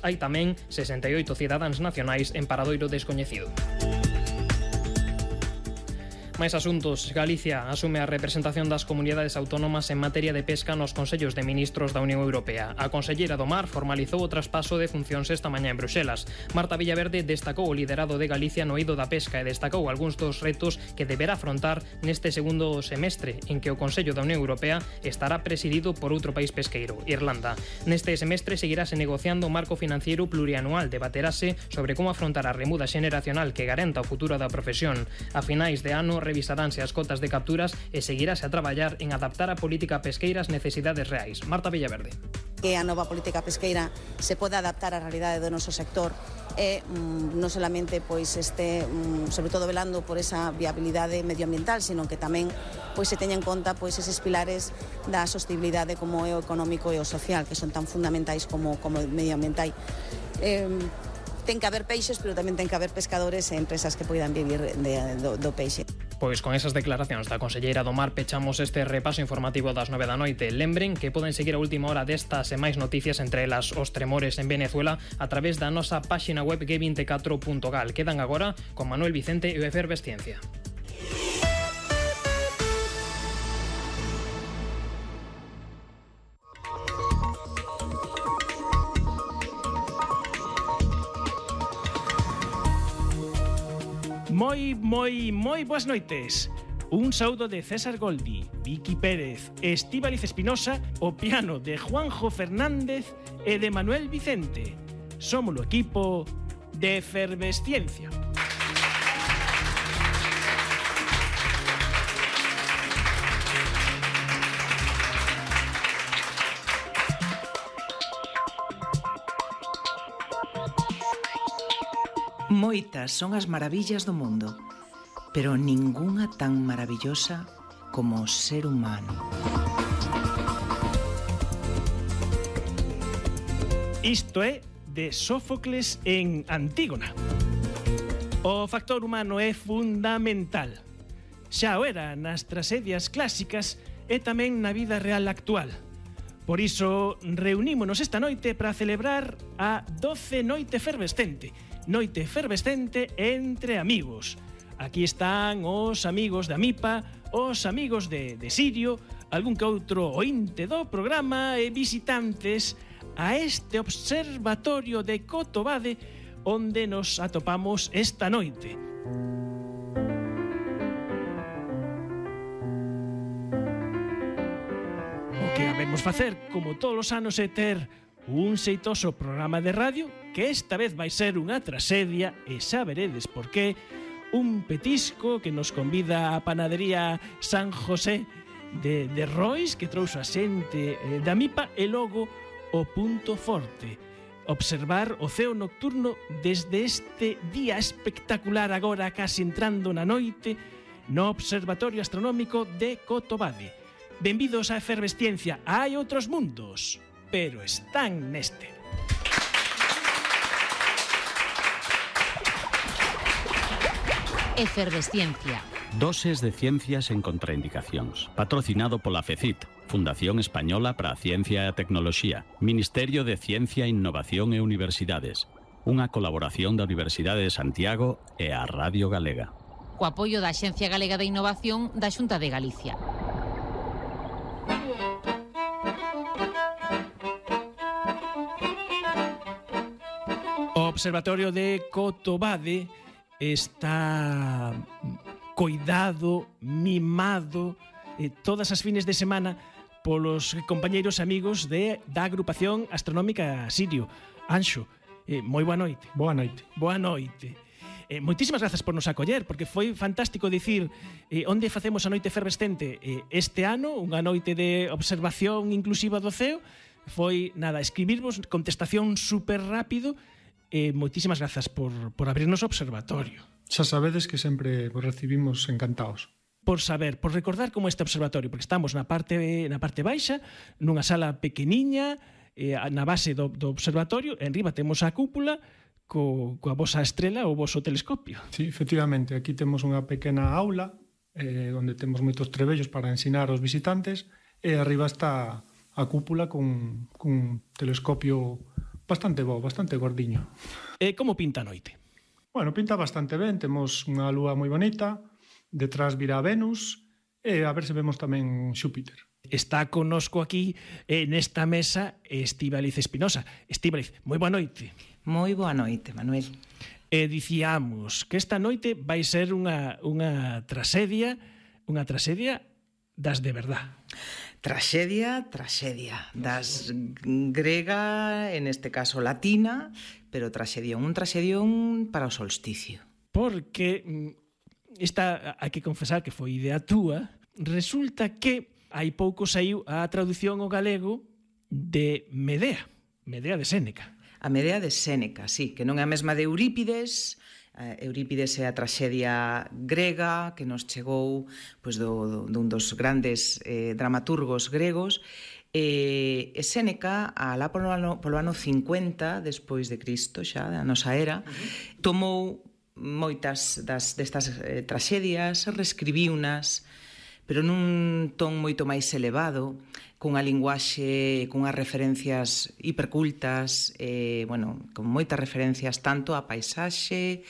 Hai tamén 68 cidadáns nacionais en paradoiro descoñecido. Máis asuntos. Galicia asume a representación das comunidades autónomas en materia de pesca nos Consellos de Ministros da Unión Europea. A conselleira do Mar formalizou o traspaso de funcións esta mañá en Bruxelas. Marta Villaverde destacou o liderado de Galicia no eido da pesca e destacou algúns dos retos que deberá afrontar neste segundo semestre, en que o Consello da Unión Europea estará presidido por outro país pesqueiro, Irlanda. Neste semestre seguirase negociando o marco financiero plurianual, debaterase sobre como afrontar a remuda xeneracional que garanta o futuro da profesión. A finais de ano revisaránse as cotas de capturas e seguirase a traballar en adaptar a política pesqueira ás necesidades reais. Marta Villaverde. Que a nova política pesqueira se poda adaptar á realidade do noso sector e non solamente sobre todo velando por esa viabilidade medioambiental, sino que tamén se teña en conta eses pilares da sostenibilidade como é o económico e o social, que son tan fundamentais como o medioambiental. Ten que haber peixes, pero tamén ten que haber pescadores e empresas que poidan vivir do peixe. Pois con esas declaracións da conselleira do Mar pechamos este repaso informativo das 9 da noite. Lembren que poden seguir a última hora destas e máis noticias, entre elas os tremores en Venezuela, a través da nosa páxina web g24.gal. Quedan agora con Manuel Vicente e o Efervesciencia. Moi boas noites. Un saúdo de César Goldi, Vicky Pérez, Estíbaliz Espinosa, o piano de Juanjo Fernández e de Manuel Vicente. Somos o equipo de Efervesciencia. Moitas son as maravillas do mundo, pero ningunha tan maravillosa como o ser humano. Isto é de Sófocles en Antígona. O factor humano é fundamental. Xa o era nas tragedias clásicas e tamén na vida real actual. Por iso, reunímonos esta noite para celebrar a 12 Noite Efervescente. Noite efervescente entre amigos. Aquí están os amigos da MIPA, os amigos de Sirio, algún que outro ointe do programa e visitantes a este observatorio de Cotobade onde nos atopamos esta noite. O que habemos facer, como todos os anos, é ter un xeitoso programa de radio que esta vez vai ser unha traxedia e xa veredes por qué. Un petisco que nos convida a panadería San José de Rois, que trouxe a xente da MIPA, e logo o punto forte, observar o ceo nocturno desde este día espectacular, agora casi entrando na noite, no Observatorio Astronómico de Cotobade. Benvidos á Efervesciencia. Hai outros mundos, pero están neste. Efervesciencia. Doses de ciencias en contraindicacións. Patrocinado pola FECIT, Fundación Española para a Ciencia e a Tecnoloxía, Ministerio de Ciencia, Innovación e Universidades. Unha colaboración da Universidade de Santiago e a Radio Galega. Co apoio da Axencia Galega de Innovación da Xunta de Galicia. O Observatorio de Cotobade está coidado, mimado, todas as fines de semana polos compañeiros amigos da agrupación astronómica Sirio. Anxo, moi boa noite. Boa noite. Boa noite. Moitísimas grazas por nos acoller, porque foi fantástico dicir onde facemos a noite efervescente este ano, unha noite de observación inclusiva do ceo. Foi, nada, escribirvos contestación super rápido. Moitísimas grazas por abrirnos o observatorio. Xa sabedes que sempre vos recibimos encantados. Por saber, por recordar como este observatorio, porque estamos na parte baixa, nunha sala pequeniña, na base do observatorio, en riba temos a cúpula coa vosa estrela, o voso telescopio. Sí, efectivamente, aquí temos unha pequena aula onde temos moitos trebellos para ensinar aos visitantes, e arriba está a cúpula con telescopio Bastante bo, bastante gordiño. Como pinta a noite? Bueno, pinta bastante ben, temos unha lúa moi bonita, detrás vira Venus, e a ver se vemos tamén Xúpiter. Está connosco aquí nesta mesa Estíbaliz Espinosa. Estíbaliz, moi boa noite. Moi boa noite, Manuel. Dicíamos que esta noite vai ser unha traxedia das de verdad. Traxedia das grega, en este caso latina, pero un traxedión para o solsticio. Porque esta, hai que confesar que foi idea túa, resulta que hai pouco saiu a traducción ao galego de Medea de Séneca. A Medea de Séneca, sí, que non é a mesma de Eurípides. Eurípides é a traxedia grega que nos chegou pois, dun dos grandes dramaturgos gregos, e Séneca, alá polo ano 50 despois de Cristo, xa da nosa era, tomou moitas destas traxedias, reescribiunas, pero nun ton moito máis elevado, cunha linguaxe, cunhas referencias hipercultas, con moitas referencias tanto á paisaxe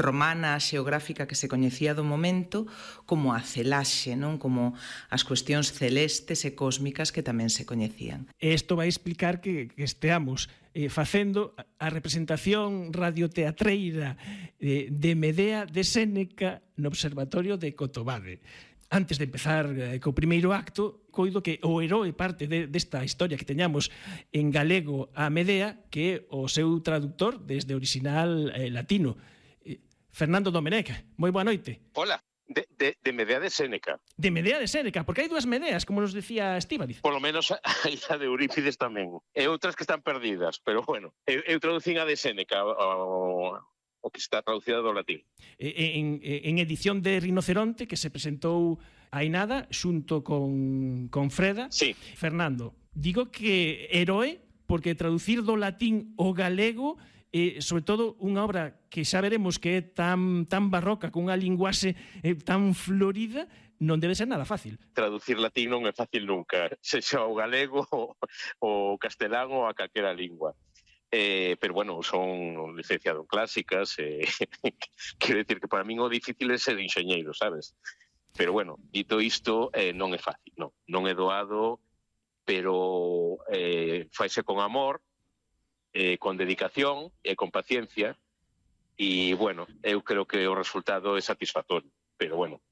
romana, xeográfica que se coñecía do momento, como á celaxe, non? Como as cuestións celestes e cósmicas que tamén se coñecían. Isto vai explicar que esteamos facendo a representación radioteatreira de Medea de Séneca no Observatorio de Cotobade. Antes de empezar co primeiro acto, coido que o heroe parte desta historia que teñamos en galego a Medea, que é o seu traductor desde o original latino. Fernando Domenech, moi boa noite. Hola, de Medea de Séneca. De Medea de Séneca, porque hai dúas Medeas, como nos decía Estíbaliz. Por lo menos hai a de Eurípides tamén. E outras que están perdidas, pero bueno, eu traducín a de Séneca, o que está traducida do latín. En edición de Rinoceronte, que se presentou hai nada, xunto con Freda. Sí. Fernando, digo que heroe, porque traducir do latín ao galego, sobre todo unha obra que xa veremos que é tan barroca, con unha linguaxe tan florida, non debe ser nada fácil. Traducir latín non é fácil nunca, sexa o galego, o castelán ou a calquera lingua. Pero bueno, son licenciado en clásicas, quero dicir que para min o difícil é ser enxeñeiro, sabes? Pero bueno, dito isto, non é fácil, non é doado, pero faise con amor, con dedicación e con paciencia, e bueno, eu creo que o resultado é satisfactorio, pero bueno,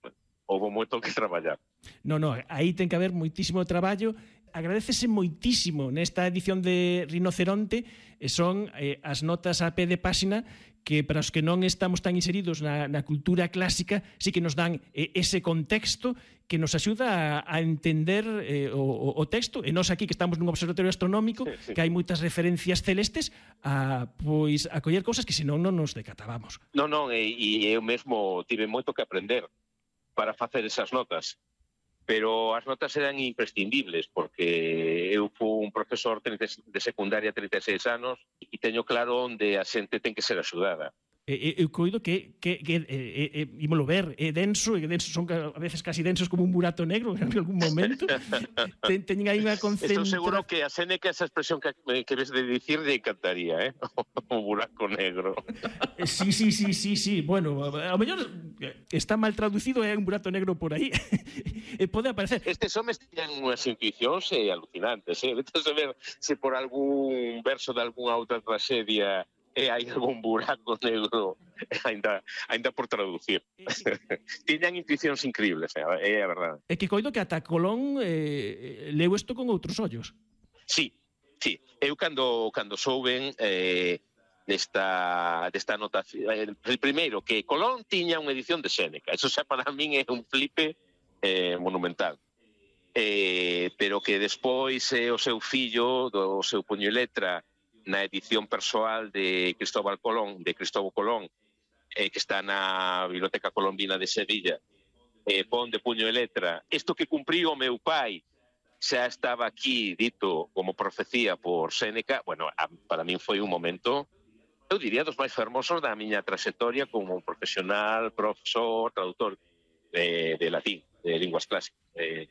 houve moito que traballar. Non, aí ten que haber moitísimo traballo. Agradecese moitísimo nesta edición de Rinoceronte, son as notas a pé de páxina que para os que non estamos tan inseridos na cultura clásica sí que nos dan ese contexto que nos axuda a entender o texto, e nós aquí que estamos nun observatorio astronómico, sí. Que hai moitas referencias celestes a coller cousas que senón non nos decatábamos. Non, e eu mesmo tive moito que aprender para facer esas notas. Pero as notas eran imprescindibles, porque eu fui un profesor de secundaria 36 anos e teño claro onde a xente ten que ser axudada. Eu coido que ímolo ver, é denso, e denso son a veces casi densos como un burato negro en algún momento. Teñen aí unha concentración. Estou seguro que a Séneca esa expresión que ves de dicir le encantaría, un buraco negro. Sí. Bueno, ao mellor está mal traducido e hai un burato negro por aí. Pode aparecer. Estes homes teñen unhas intuicións alucinantes, Vete a ver se por algún verso de algunha outra traxedia hai algún buraco negro ainda por traducir. Tiñan intuicións increíbles, é a verdade. É que coido que ata Colón leu isto con outros ollos. Sí. Eu cando souben desta anotación, primeiro que Colón tiña unha edición de Séneca, eso xa para min é un flipe monumental. Pero que despois o seu fillo, do seu puño e letra, na edición persoal de Cristóbal Colón, que está na Biblioteca Colombina de Sevilla, pon de puño e letra, isto que cumpriu o meu pai xa estaba aquí dito como profecía por Séneca. Bueno, para min foi un momento, eu diría, dos máis fermosos da miña traxectoria como profesional, profesor, traductor de latín, de linguas clásicas. É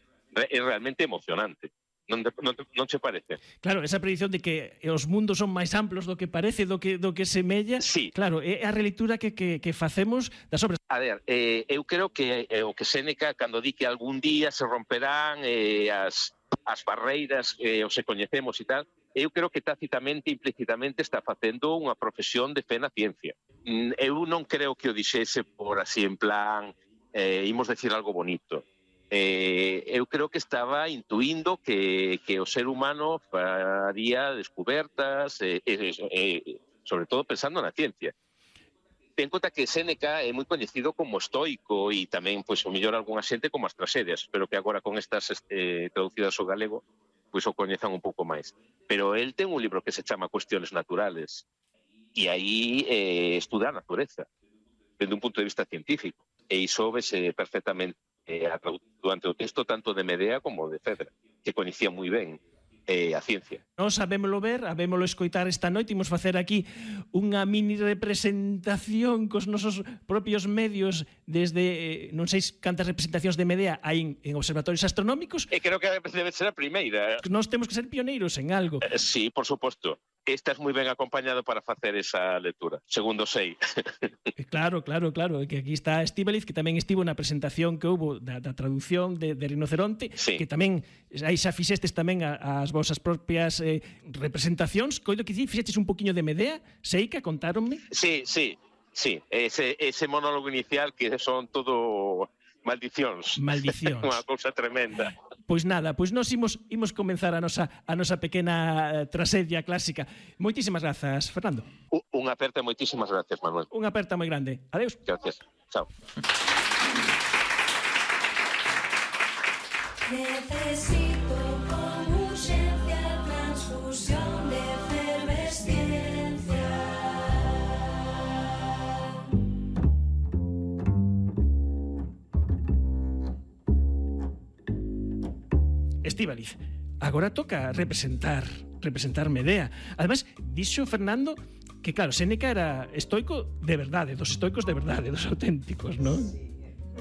realmente emocionante. Non che parece? Claro, esa predición de que os mundos son máis amplos do que parece, do que semella, sí. Claro, é a releitura que facemos das obras. A ver, eu creo que o que Séneca, cando di que algún día se romperán as barreiras os se coñecemos e tal, eu creo que tácitamente, implícitamente está facendo unha profesión de fe na ciencia. Eu non creo que o dixese por así en plan imos decir algo bonito. Eu creo que estaba intuindo que o ser humano faría descubertas, sobre todo pensando na ciencia. Ten conta que Séneca é moi coñecido como estoico e tamén, pois, o mellor algunha xente como as tragedias, pero que agora con estas traducidas ao galego, pois o coñezan un pouco máis. Pero el ten un libro que se chama Cuestiones Naturales e aí estuda a natureza desde un punto de vista científico e iso vese perfectamente durante o texto tanto de Medea como de Fedra, que coñecía moi ben a ciencia. Nos sabémolo ver, habémolo escoitar esta noite, imos facer aquí unha mini representación cos nosos propios medios desde, non sei cantas representacións de Medea hai en observatorios astronómicos. E creo que debe ser a primeira. Nós temos que ser pioneiros en algo. Sí, por suposto. Estás moi ben acompañado para facer esa lectura, segundo sei. Claro, que aquí está Estíbaliz, que tamén estivo na presentación que houbo da traducción de Rinoceronte, sí. Que tamén, aí xa fixestes tamén as vosas propias representacións, coido que fixestes un poquinho de Medea, Seica, contáronme? Sí, ese monólogo inicial que son todo maldicións. Unha cousa tremenda. Pois nada, pois nós imos comenzar a nosa pequena trasedia clásica. Moitísimas grazas, Fernando. Unha aperta, moitísimas grazas, Manuel. Unha aperta moi grande. Adeus. Gracias. Chao. Necesito con urgencia transfusión de efervesciencia. Estíbaliz, agora toca representar Medea. Además, dixo Fernando que, claro, Séneca era estoico de verdade, dos estoicos de verdade, dos auténticos, non?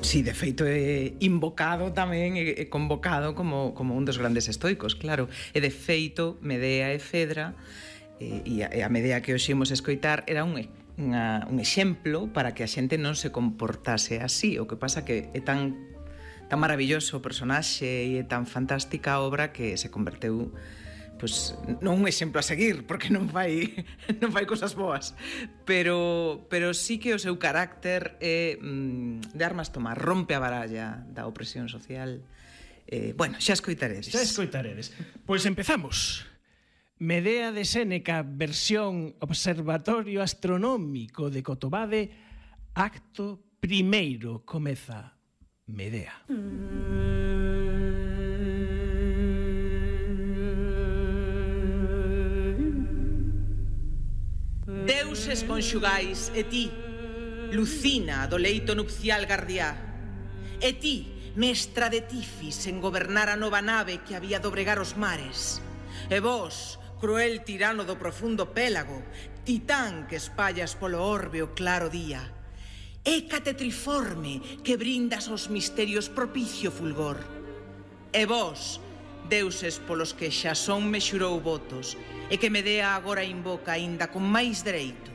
Sí, de feito é invocado tamén e convocado como un dos grandes estoicos, claro. E de feito, Medea e Fedra, e a Medea que hoxe imos escoitar, era un exemplo para que a xente non se comportase así. O que pasa que é tan maravilloso o personaxe e tan fantástica a obra que se converteu pois non un exemplo a seguir, porque non fai cosas boas, pero sí que o seu carácter é de armas tomar, rompe a baralla da opresión social. Bueno, xa escoitaredes. Pois empezamos. Medea de Séneca, versión Observatorio Astronómico de Cotobade, acto primeiro, comeza Medea. Deuses conxugais, e ti, Lucina do leito nupcial gardiá, e ti, mestra de Tifis en gobernar a nova nave que había dobregar os mares, e vos, cruel tirano do profundo pélago, titán que espallas polo orbe o claro día, Hécate triforme que brindas aos misterios propicio fulgor. E vós, deuses polos que Xasón me xurou votos, e que Medea agora invoca aínda con máis dereito.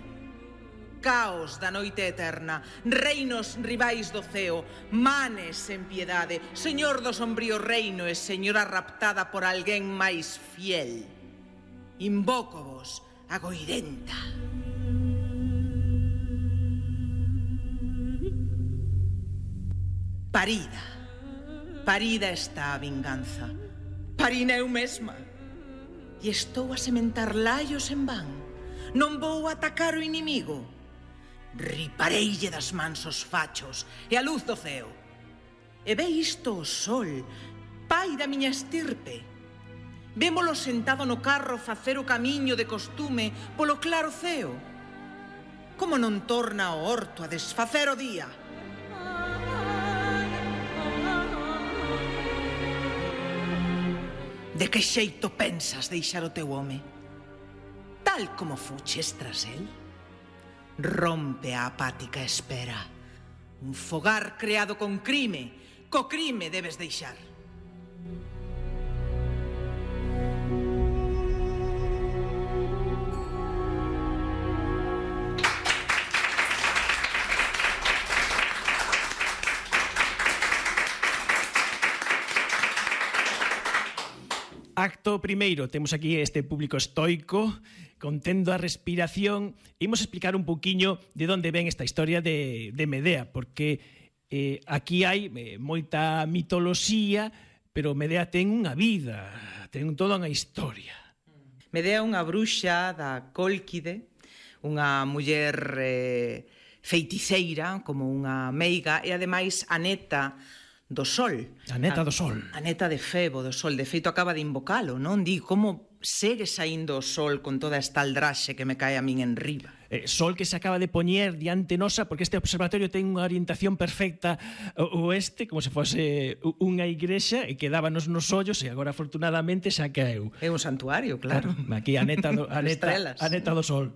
Caos da noite eterna, reinos rivais do ceo, manes en piedade, señor do sombrío reino e señora raptada por alguén máis fiel. Invócovos a Goirenta. Parida está a vinganza. Parina eu mesma. E estou a sementar laios en van. Non vou atacar o inimigo. Ripareille das mans os fachos e a luz do ceo. E ve isto o sol, pai da miña estirpe. Vémolo sentado no carro facer o camiño de costume polo claro ceo. Como non torna o horto a desfacer o día? De que xeito pensas deixar o teu home? Tal como fuches tras el? Rompe a apática espera. Un fogar creado con crime, co crime debes deixar. Acto primeiro, temos aquí este público estoico, contendo a respiración. Imos explicar un pouquiño de onde ven esta historia de Medea, porque aquí hai moita mitoloxía, pero Medea ten unha vida, ten toda unha historia. Medea é unha bruxa da Cólquide, unha muller feiticeira, como unha meiga, e ademais a neta do Sol. A neta do Sol. A neta de Febo, do Sol. De feito, acaba de invocalo, non? Di, como segue saindo o Sol con toda esta aldraxe que me cae a min en riba? Sol que se acaba de poñer diante nosa, porque este observatorio ten unha orientación perfecta oeste, como se fose unha igrexa, e que dábanos nos ollos, e agora, afortunadamente, xa caeu. É un santuario, claro. Aquí a neta do Sol.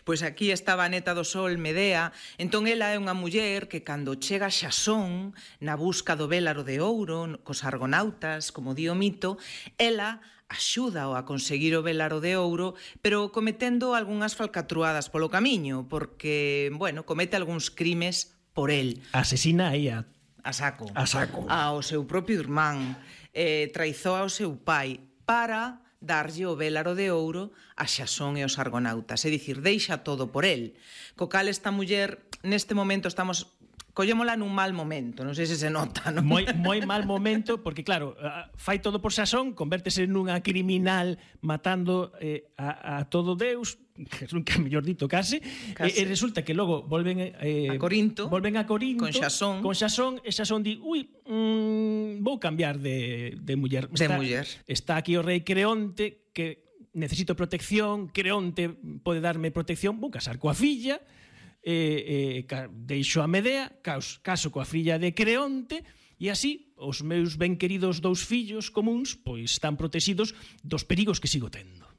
Pois aquí estaba a neta do Sol, Medea. Entón, ela é unha muller que, cando chega Xasón, na busca do vélaro de ouro, cos argonautas, como di o mito, ela axúdao a conseguir o vélaro de ouro, pero cometendo algunhas falcatruadas polo camiño, porque, bueno, comete algúns crimes por el. Asesina aí a saco. Ao seu propio irmán. Traizoa ao seu pai para darlle o vélaro de ouro a Xasón e os argonautas. É dicir, deixa todo por el. Co cal esta muller, neste momento estamos... Collémola nun mal momento, non sei se se nota, non? Moi mal momento, porque claro, fai todo por Xasón, convértese nunha criminal matando a todo Deus, que é mellor dito case, e resulta que logo volven a Corinto con Xasón, e Xasón di, vou cambiar de muller. Está aquí o rei Creonte, que necesito protección, Creonte pode darme protección, vou casar coa filla, deixo a Medea, caso coa filla de Creonte, e así os meus ben queridos 2 fillos comuns pois están protegidos dos perigos que sigo tendo.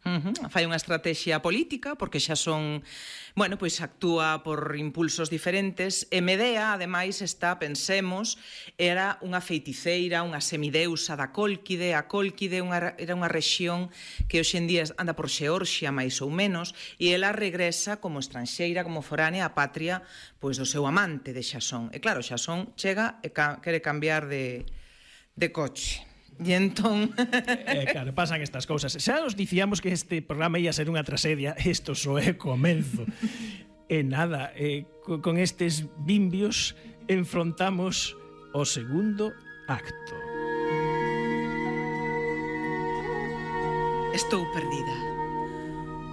Fai unha estrategia política, porque xa son, bueno, pois actúa por impulsos diferentes, e Medea, ademais, pensemos, era unha feiticeira, unha semideusa da Cólquide. A Cólquide era unha rexión que hoxe en día anda por Xeorxia, máis ou menos, e ela regresa como estranxeira, como foránea á patria pois do seu amante de Xasón. E claro, Xasón chega e quere cambiar de coche. E entón... claro, pasan estas cousas. Xa os dicíamos que este programa ia ser unha tragedia. Isto só é comenzo. E nada, con estes bimbios enfrontamos o segundo acto. Estou perdida.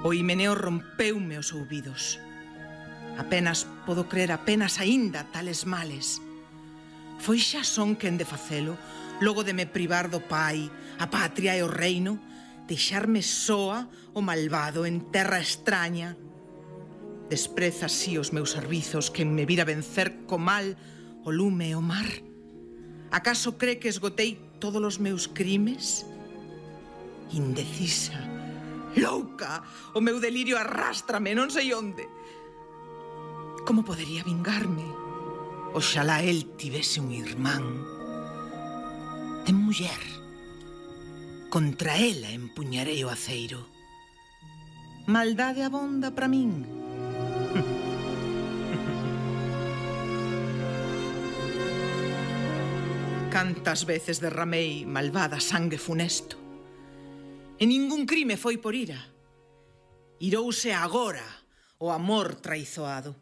O himeneo rompeume os ouvidos. Apenas podo crer, apenas aínda tales males. Foi Xasón quen de facelo, logo de me privar do pai, a patria e o reino, deixarme soa o malvado en terra extraña. Despreza así os meus servizos quen me vira vencer co mal, o lume e o mar. Acaso cree que esgotei todos os meus crimes? Indecisa, louca, o meu delirio arrástrame, non sei onde. Como podería vingarme? Oxalá el tivese un irmán. De muller. Contra ela empuñarei o aceiro. Maldade abonda para min. Cantas veces derramei malvada sangue funesto. E ningún crime foi por ira. Irouse agora o amor traizoado.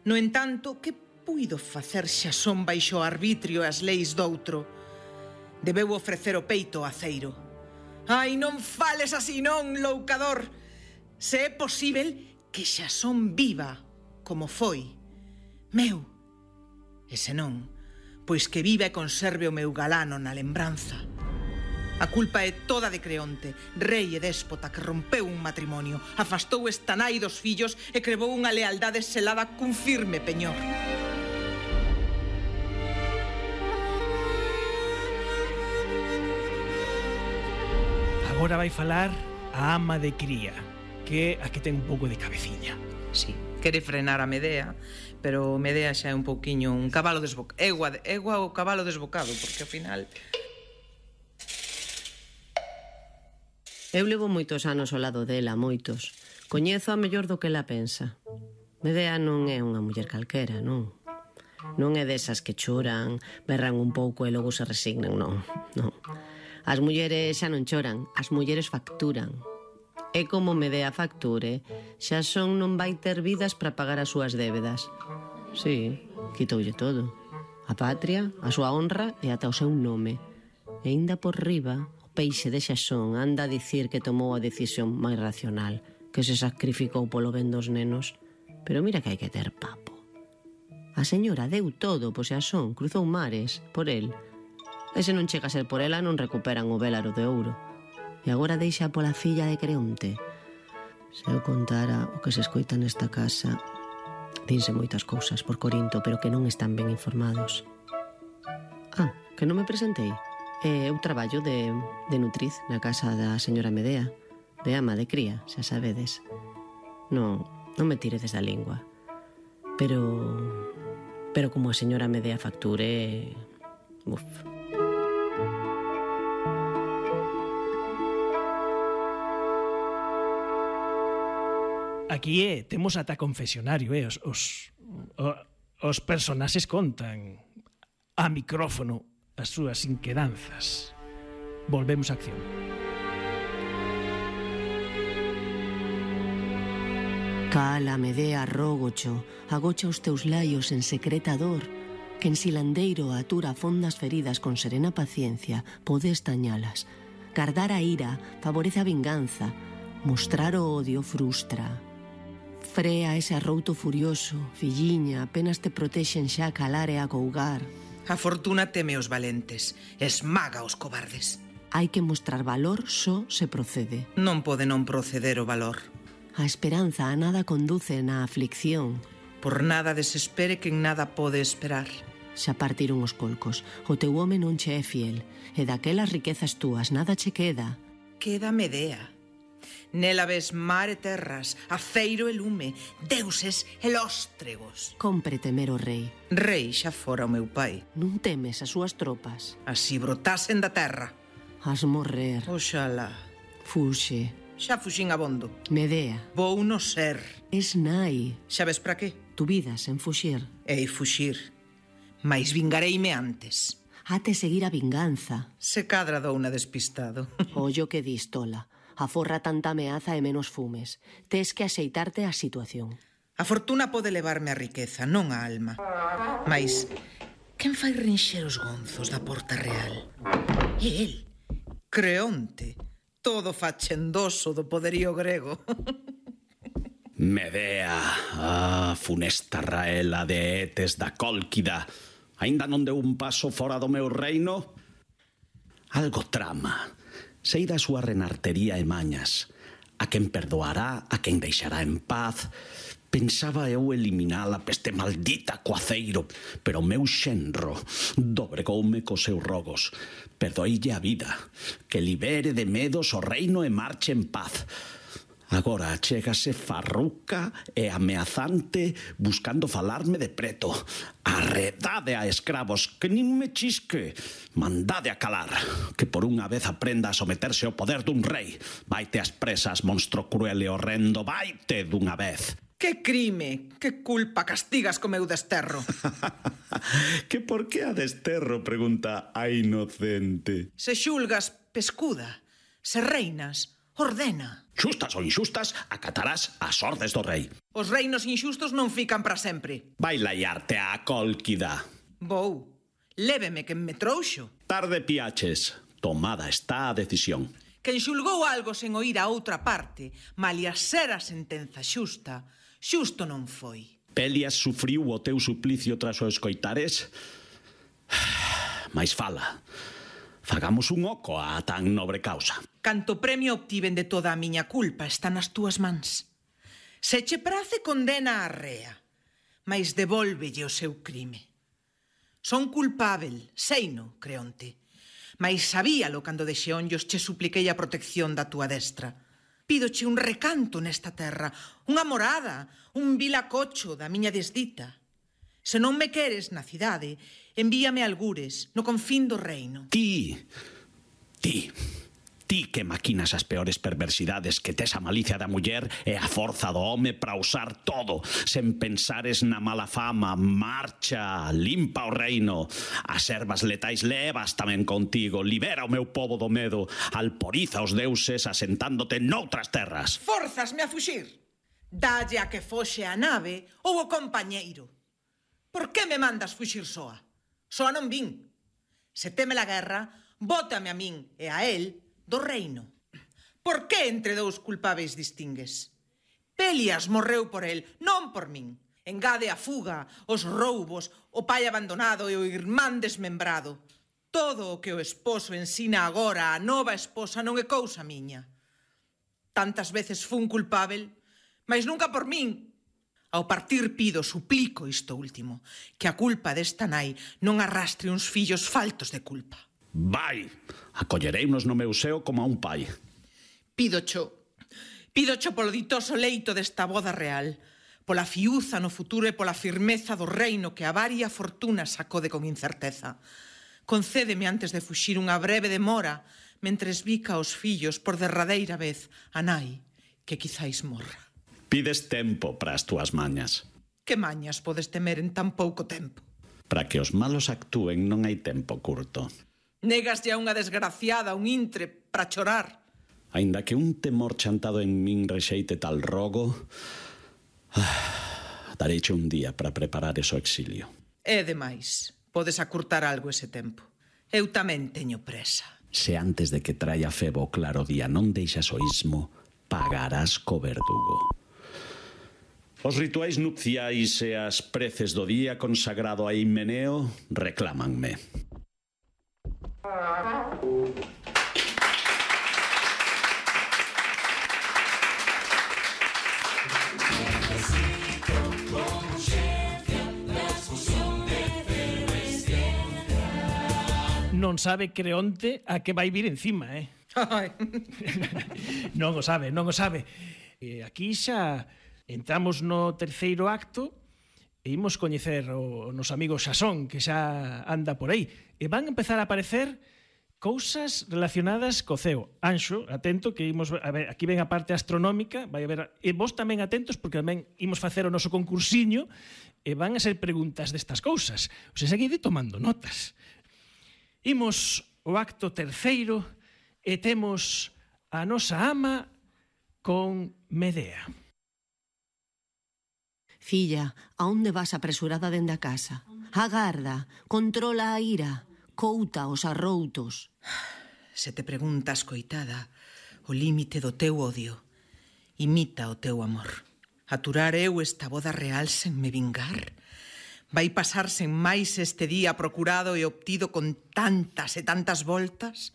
No entanto, que puido facer Xasón baixo o arbitrio e as leis doutro? Debeu ofrecer o peito ao aceiro. Ai, non fales así, non, loucador! Se é posíbel que Xasón viva como foi meu. E se non, pois que viva e conserve o meu galano na lembranza. A culpa é toda de Creonte, rei e déspota que rompeu un matrimonio, afastou esta nai dos fillos e crevou unha lealdade selada cun firme peñor. Agora vai falar a ama de cría, que aquí ten un pouco de cabeciña. Sí, quere frenar a Medea, pero Medea xa é un pouquiño un cabalo desbocado. Egua o cabalo desbocado, porque ao final... Eu levo moitos anos ao lado dela, moitos. Coñezo a mellor do que ela pensa. Medea non é unha muller calquera, non. Non é desas que choran, berran un pouco e logo se resignan, non. As mulleres xa non choran, as mulleres facturan. E como Medea facture, xa son non vai ter vidas para pagar as súas débedas. Sí, quitoulle todo. A patria, a súa honra e ata o seu nome. E ainda por riba, o peixe de Xasón anda a dicir que tomou a decisión máis racional, que se sacrificou polo ben dos nenos. Pero mira que hai que ter papo. A señora deu todo por Xasón, cruzou mares, por el. E se non chega a ser por ela, non recuperan o vélaro de ouro. E agora deixa pola filla de Creonte. Se eu contara o que se escoita nesta casa, dinse moitas cousas por Corinto, pero que non están ben informados. Que non me presentei. Eu traballo de nutriz na casa da señora Medea, de ama de cría, xa sabedes. Non me tiredes da lingua. Pero como a señora Medea facture... Uf... Aquí temos ata confesionario, os personaxes contan a micrófono as súas inquedanzas. Volvemos á acción. Cala, Medea, rógocho, agocha os teus laios en secreta dor, que en silandeiro atura fondas feridas con serena paciencia, pode estañalas. Gardar a ira favorece a vinganza, mostrar o odio frustra. Frea ese arrouto furioso, filliña, apenas te protexen xa a calar e a cougar. A fortuna teme os valentes, esmaga os cobardes. Hai que mostrar valor só se procede. Non pode non proceder o valor. A esperanza a nada conduce na aflicción. Por nada desespere quen nada pode esperar. Xa partiron os colcos, o teu home non che é fiel, e daquelas riquezas túas nada che queda. Queda Medea. Nela ves mar e terras, aceiro e lume, deuses e lóstregos. Compre temer o rei. Rei xa fora o meu pai. Non temes as súas tropas. Así brotasen da terra. Has morrer. Oxalá. Fuxe. Xa fuxín abondo. Medea. Vou no ser. Es nai. Xa ves para que? Tu vida sen fuxir. Ei fuxir. Mais vingareime antes. Hate seguir a vinganza. Se cadra dou unha despistado. Ollo que dis, tola. Aforra tanta ameaza e menos fumes. Tes que axeitarte á situación. A fortuna pode levarme a riqueza, non a alma. Mais, quen fai rinxer os gonzos da Porta Real? E el, Creonte, todo fachendoso do poderío grego. Medea, funesta raela de Etes da Cólquida, aínda non deu un paso fora do meu reino? Algo trama. Sei da súa renartería e mañas. A quen perdoará, a quen deixará en paz. Pensaba eu eliminar a peste maldita co aceiro, pero o meu xenro dobregoume cos seus rogos. Perdoeille a vida, que libere de medos o reino e marche en paz. Agora chégase farruca e ameazante buscando falarme de preto. Arredade a escravos, que nin me chisque. Mandade a calar, que por unha vez aprenda a someterse ao poder dun rei. Vaite ás presas, monstro cruel e horrendo, vaite dunha vez. Que crime, que culpa castigas co meu desterro? Que por que a desterro, pregunta a inocente. Se xulgas, pescuda. Se reinas, ordena. Xustas ou inxustas, acatarás as ordes do rei. Os reinos inxustos non fican para sempre. Vai laiarte á Cólquida. Vou. Léveme que me trouxo. Tarde piaches. Tomada está a decisión. Quen xulgou algo sen oír a outra parte, malia ser a sentenza xusta, xusto non foi. Pelias sufriu o teu suplicio tras o escoitares? Mais fala. Fagamos un oco a tan nobre causa. Canto premio obtiven de toda a miña culpa está nas túas mans. Se che prace condena a rea, mais devólvelle o seu crime. Son culpável, seino, Creonte, mais sabíalo cando de xeonllos che supliquei a protección da túa destra. Pídoche un recanto nesta terra, unha morada, un vilacocho da miña desdita. Se non me queres na cidade, envíame algures no confín do reino. Ti, Ti que maquinas as peores perversidades, que tes a malicia da muller e a forza do home para usar todo, sen pensares na mala fama. Marcha, limpa o reino. As ervas letais levas tamén contigo. Libera o meu pobo do medo. Alporiza os deuses asentándote noutras terras. Forzasme a fuxir. Dalle a que foxe a nave ou o compañeiro. Por que me mandas fuxir soa? Soa non vin. Se teme a guerra, bótame a min e a él do reino. Por que entre dous culpáveis distingues? Pelias morreu por el, non por min. Engade a fuga, os roubos, o pai abandonado e o irmán desmembrado. Todo o que o esposo ensina agora a nova esposa non é cousa miña. Tantas veces fun culpável, mas nunca por min. Ao partir pido, suplico isto último, que a culpa desta nai non arrastre uns fillos faltos de culpa. Vai, acollereinos no meu seo como a un pai. Pídocho polo ditoso leito desta boda real, pola fiuza no futuro e pola firmeza do reino que a varia fortuna sacode con incerteza. Concédeme antes de fuxir unha breve demora, mentres bica aos fillos por derradeira vez a nai, que quizáis morra. Pides tempo para as túas mañas. Que mañas podes temer en tan pouco tempo? Para que os malos actúen non hai tempo curto. Negaslle a unha desgraciada, un intre, para chorar. Aínda que un temor chantado en min rexeite tal rogo, dareiche un día para preparar ese exilio. É demais. Podes acurtar algo ese tempo. Eu tamén teño presa. Se antes de que traia Febo o claro día non deixas o ismo, pagarás co verdugo. Os rituais nupciais e as preces do día consagrado a Himeneo reclámanme. Non sabe Creonte a que vai vir encima, Non o sabe. Aquí xa entramos no terceiro acto e imos coñecer o noso amigo Xasón, que xa anda por aí. E van empezar a aparecer cousas relacionadas co ceo. Anxo, atento, que imos a ver, aquí ven a parte astronómica, vai a ver, e vos tamén atentos, porque tamén imos facer o noso concursiño, e van a ser preguntas destas cousas. O sea, seguide tomando notas. Imos o acto terceiro e temos a nosa ama con Medea. Filla, a onde vas apresurada dende a casa? Agarda, controla a ira, couta os arroutos. Se te preguntas, coitada, o límite do teu odio, imita o teu amor. Aturar eu esta boda real sen me vingar? Vai pasarse en máis este día procurado e obtido con tantas e tantas voltas?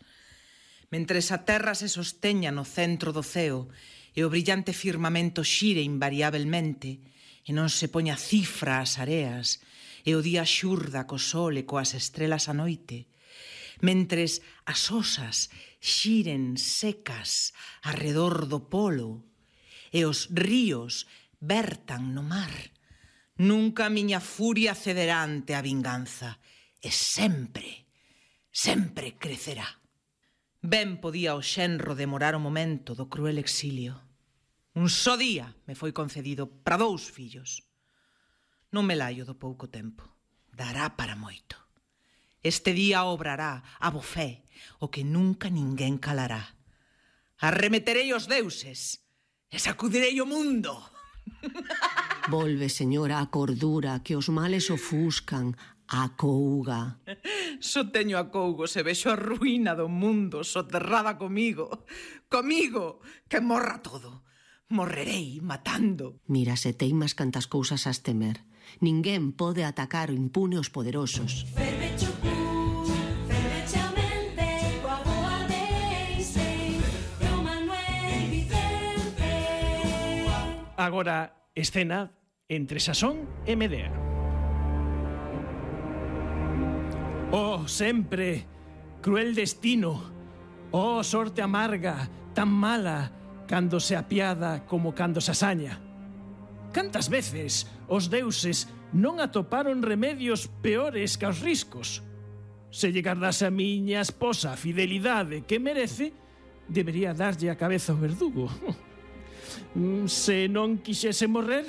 Mentres a terra se sosteña no centro do ceo e o brillante firmamento xire invariablemente e non se poña cifra ás areas e o día xurda co sol e coas estrelas a noite, mentres as osas xiren secas arredor do polo e os ríos vertan no mar, nunca a miña furia cederá ante a vinganza e sempre, sempre crecerá. Ben podía o xenro demorar o momento do cruel exilio. Un só día me foi concedido para 2 fillos. Non me laio do pouco tempo. Dará para moito. Este día obrará a bo fe o que nunca ninguén calará. Arremeterei os deuses e sacudirei o mundo. Volve, señora, a cordura, que os males ofuscan. Acouga. Só teño acougo se vexo a ruína do mundo soterrada comigo. Comigo, que morra todo. Morrerei matando. Mira, se teimas cantas cousas has temer. Ninguén pode atacar o impune os poderosos. Agora, escena entre Xasón e Medea. Oh, sempre, cruel destino, oh, sorte amarga, tan mala, cando se apiada como cando se asaña. Cantas veces os deuses non atoparon remedios peores que os riscos. Se lle gardase a miña esposa a fidelidade que merece, debería darlle a cabeza ao verdugo. Se non quixese morrer,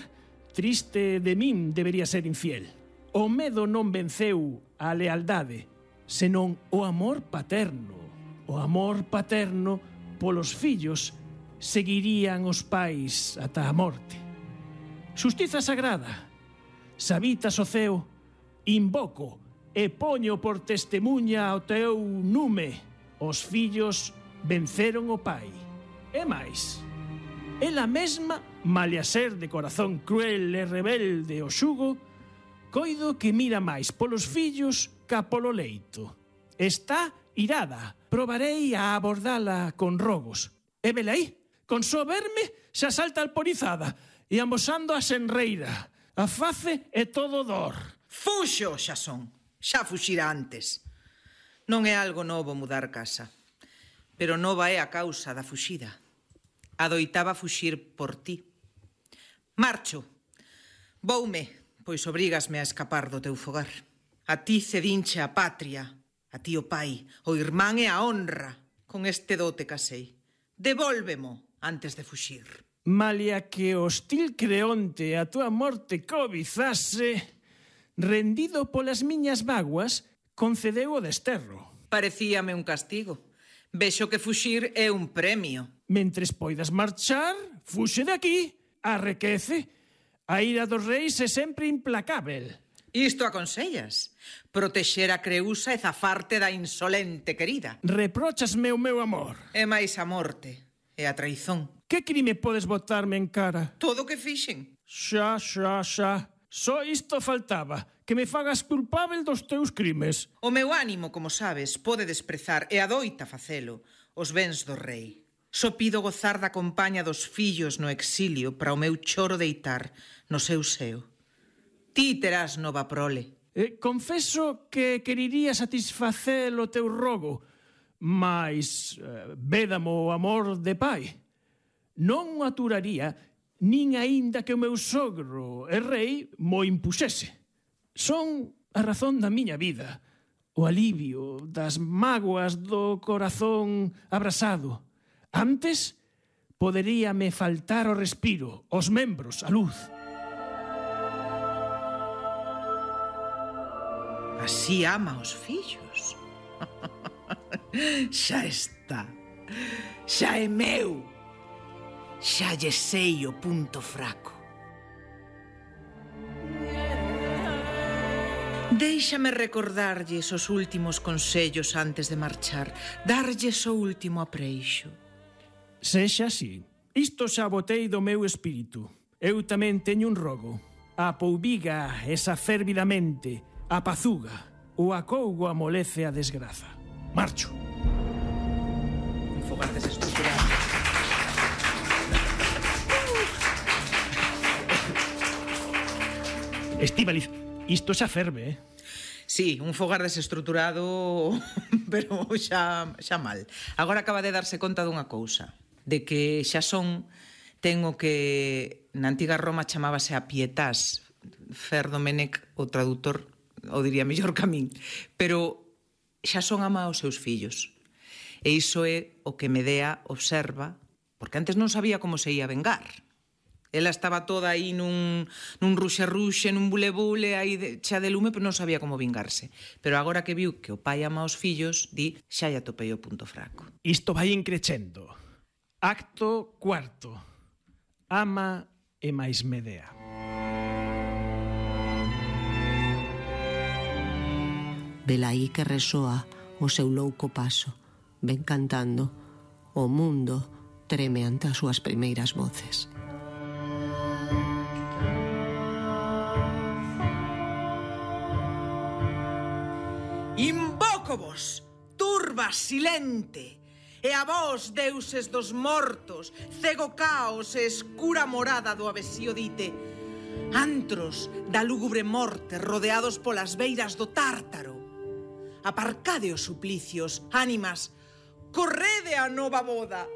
triste de min debería ser infiel. O medo non venceu a lealdade, senón o amor paterno. O amor paterno polos fillos seguirían os pais ata a morte. Xustiza sagrada, sabitas o ceo, invoco e poño por testemunha ao teu nume. Os fillos venceron o pai. E máis, ela mesma, malia ser de corazón cruel e rebelde o xugo, coido que mira máis polos fillos ca polo leito. Está irada, probarei a abordala con rogos. E velaí, con só verme, xa salta alporizada e amosando a senreira. A face é todo dor. Fuxo, xa son. Xa fuxira antes. Non é algo novo mudar casa, pero nova é a causa da fuxida. Adoitaba fuxir por ti. Marcho. Voume, pois obrígasme a escapar do teu fogar. A ti cedinche a patria, a ti o pai, o irmán e a honra. Con este dote casei. Devólvemo antes de fuxir. Malia que o hostil Creonte a túa morte cobizase, rendido polas miñas vaguas, concedeu o desterro. Parecíame un castigo. Vexo que fuxir é un premio. Mentres poidas marchar, fuxe de aquí, arrequece. A ira dos reis é sempre implacável. Isto aconsellas? Protexer a Creusa e zafarte da insolente querida. Reprochasme o meu amor. É máis a morte e a traizón. Que crime podes botarme en cara? Todo o que fixen. Xa. Só isto faltaba, que me fagas culpável dos teus crimes. O meu ánimo, como sabes, pode desprezar e adoita facelo os bens do rei. Só pido gozar da compaña dos fillos no exilio para o meu choro deitar no seu seo. Ti terás nova prole. Confeso que queriría satisfacer o teu rogo, mas védamo o amor de pai. Non o aturaría nin aínda que o meu sogro e rei mo impuxese. Son a razón da miña vida, o alivio das mágoas do corazón abrasado. Antes, poderíame faltar o respiro, os membros, a luz. Así ama os fillos. Xa está. Xa é meu. Xa lle sei o punto fraco. Déixame recordarlles os últimos consellos antes de marchar, darlles o último apreixo. Sexa así. Isto xa botei do meu espírito. Eu tamén teño un rogo. A poubiga esa fervidamente, a pazuga, o acougo amolece a desgraza. Marcho. Un fogar desestruturado. Estíbaliz, isto xa ferve, Sí, un fogar desestruturado, pero xa mal. Agora acaba de darse conta dunha cousa, de que xa son, ten o que na antiga Roma chamábase a pietas. Fer Domenech, o traductor, o diría mellor que a min, pero xa son ama aos seus fillos. E iso é o que Medea observa, porque antes non sabía como se ia vengar. Ela estaba toda aí nun ruxe-ruxe, nun bule-bule, aí xa de lume, pero non sabía como vingarse. Pero agora que viu que o pai ama aos fillos, di, xa lle atopei o punto fraco. Isto vai increcendo. Acto cuarto. Ama e máis Medea. Velaí que resoa o seu louco paso, ven cantando. O mundo treme ante as súas primeiras voces. Invócovos, turba silente, e a vós, deuses dos mortos, cego caos e escura morada do avesío dite, antros da lúgubre morte rodeados polas beiras do Tártaro. Aparcade os suplicios, ánimas, correde a nova boda.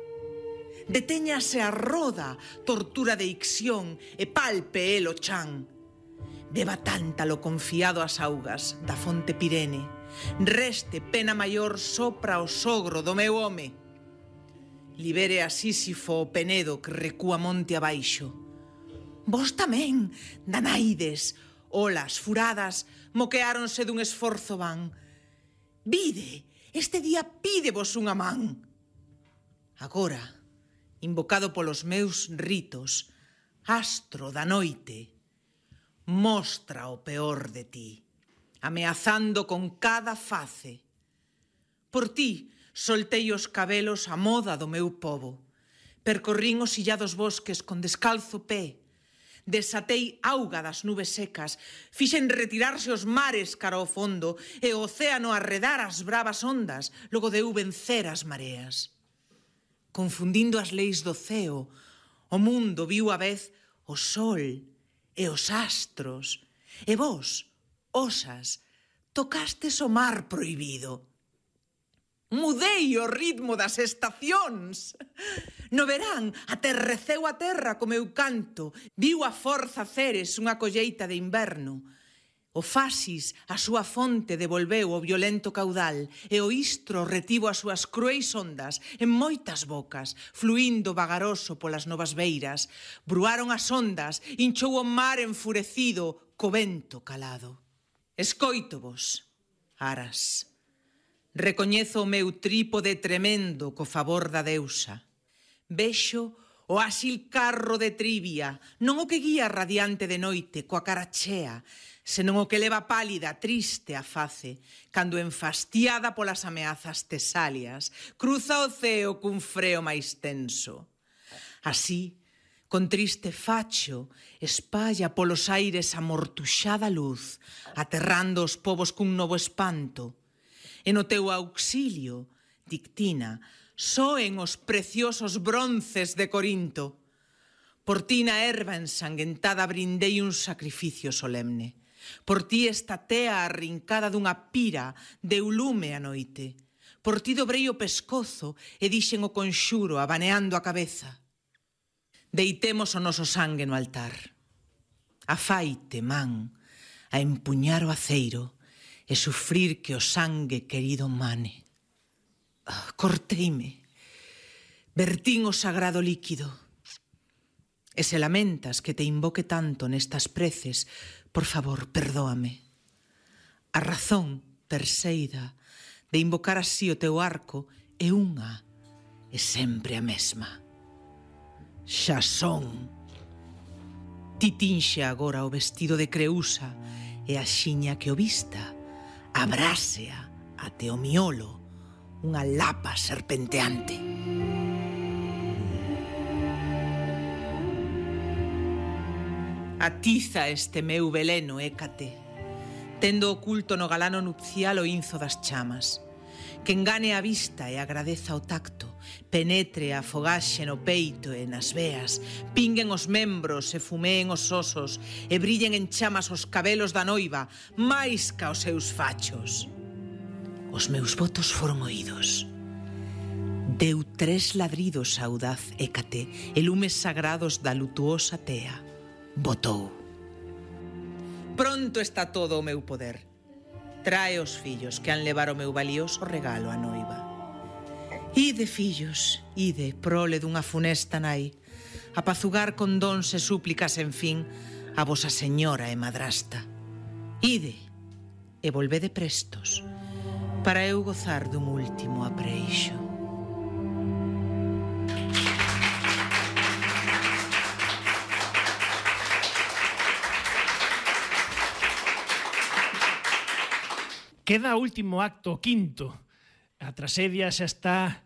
Detéñase a roda, tortura de Ixión, e palpe el o chan. Beba tántalo confiado ás augas da fonte Pirene. Reste pena maior sopra o sogro do meu home. libere a Sísifo o Penedo que recúa monte abaixo. Vos tamén, danaides, olas furadas, moqueáronse dun esforzo van. Vide, este día pídevos unha man. Agora, invocado polos meus ritos, astro da noite, mostra o peor de ti, ameazando con cada face. Por ti soltei os cabelos a moda do meu pobo, percorrín os illados bosques con descalzo pé, desatei auga das nubes secas, fixen retirarse os mares cara ao fondo e o océano arredar as bravas ondas, logo deu vencer as mareas. Confundindo as leis do ceo, o mundo viu a vez o sol e os astros, e vos, osas, tocastes o mar prohibido. Mudei o ritmo das estacións. No verán, aterreceu a terra co meu canto, viu a forza Ceres unha colleita de inverno. O Fasis, a súa fonte, devolveu o violento caudal e o Istro retivo as súas cruéis ondas en moitas bocas, fluindo vagaroso polas novas beiras. Bruaron as ondas, hinchou o mar enfurecido co vento calado. Escoitovos, aras. Recoñezo o meu trípode tremendo co favor da deusa. Vexo o áxil carro de Trivia, non o que guía radiante de noite, coa cara chea, senón o que leva pálida, triste a face, cando enfastiada polas ameazas tesalias, cruza o ceo cun freo máis tenso. Así, con triste facho, espalla polos aires a mortuxada luz, aterrando os povos cun novo espanto. E no teu auxilio, Dictina, soen os preciosos bronces de Corinto. Por ti na erva ensanguentada brindei un sacrificio solemne. Por ti esta tea arrincada dunha pira deu lume a noite. Por ti dobrei o pescozo e dixen o conxuro abaneando a cabeza. Deitemos o noso sangue no altar. Afaite, man, a empuñar o aceiro e sufrir que o sangue querido mane. Corteime, vertín o sagrado líquido. E se lamentas que te invoque tanto nestas preces, por favor, perdóame. A razón, Perseida, de invocar así o teu arco é unha, e sempre a mesma. Xa son. Ti tinxe agora o vestido de Creusa e a xiña que o vista, abrásea até o miolo unha lapa serpenteante. Atiza este meu veleno, Hécate, tendo oculto no galano nupcial o inzo das chamas, que engane a vista e agradeza o tacto, penetre a fogaxe no peito e nas veas, pinguen os membros e fumeen os osos e brillen en chamas os cabelos da noiva, máis ca os seus fachos. Os meus votos foron oídos. Deu 3 ladridos audaz Hécate e lumes sagrados da lutuosa tea. Botou. Pronto está todo o meu poder. Trae os fillos que han levar o meu valioso regalo á noiva. Ide, fillos, ide, prole dunha funesta nai, apazugar con dons e súplicas, en fin, a vosa señora e madrasta. Ide, e volvede prestos, para eu gozar dun último apreixo. Queda o último acto, o quinto. A traxedia xa está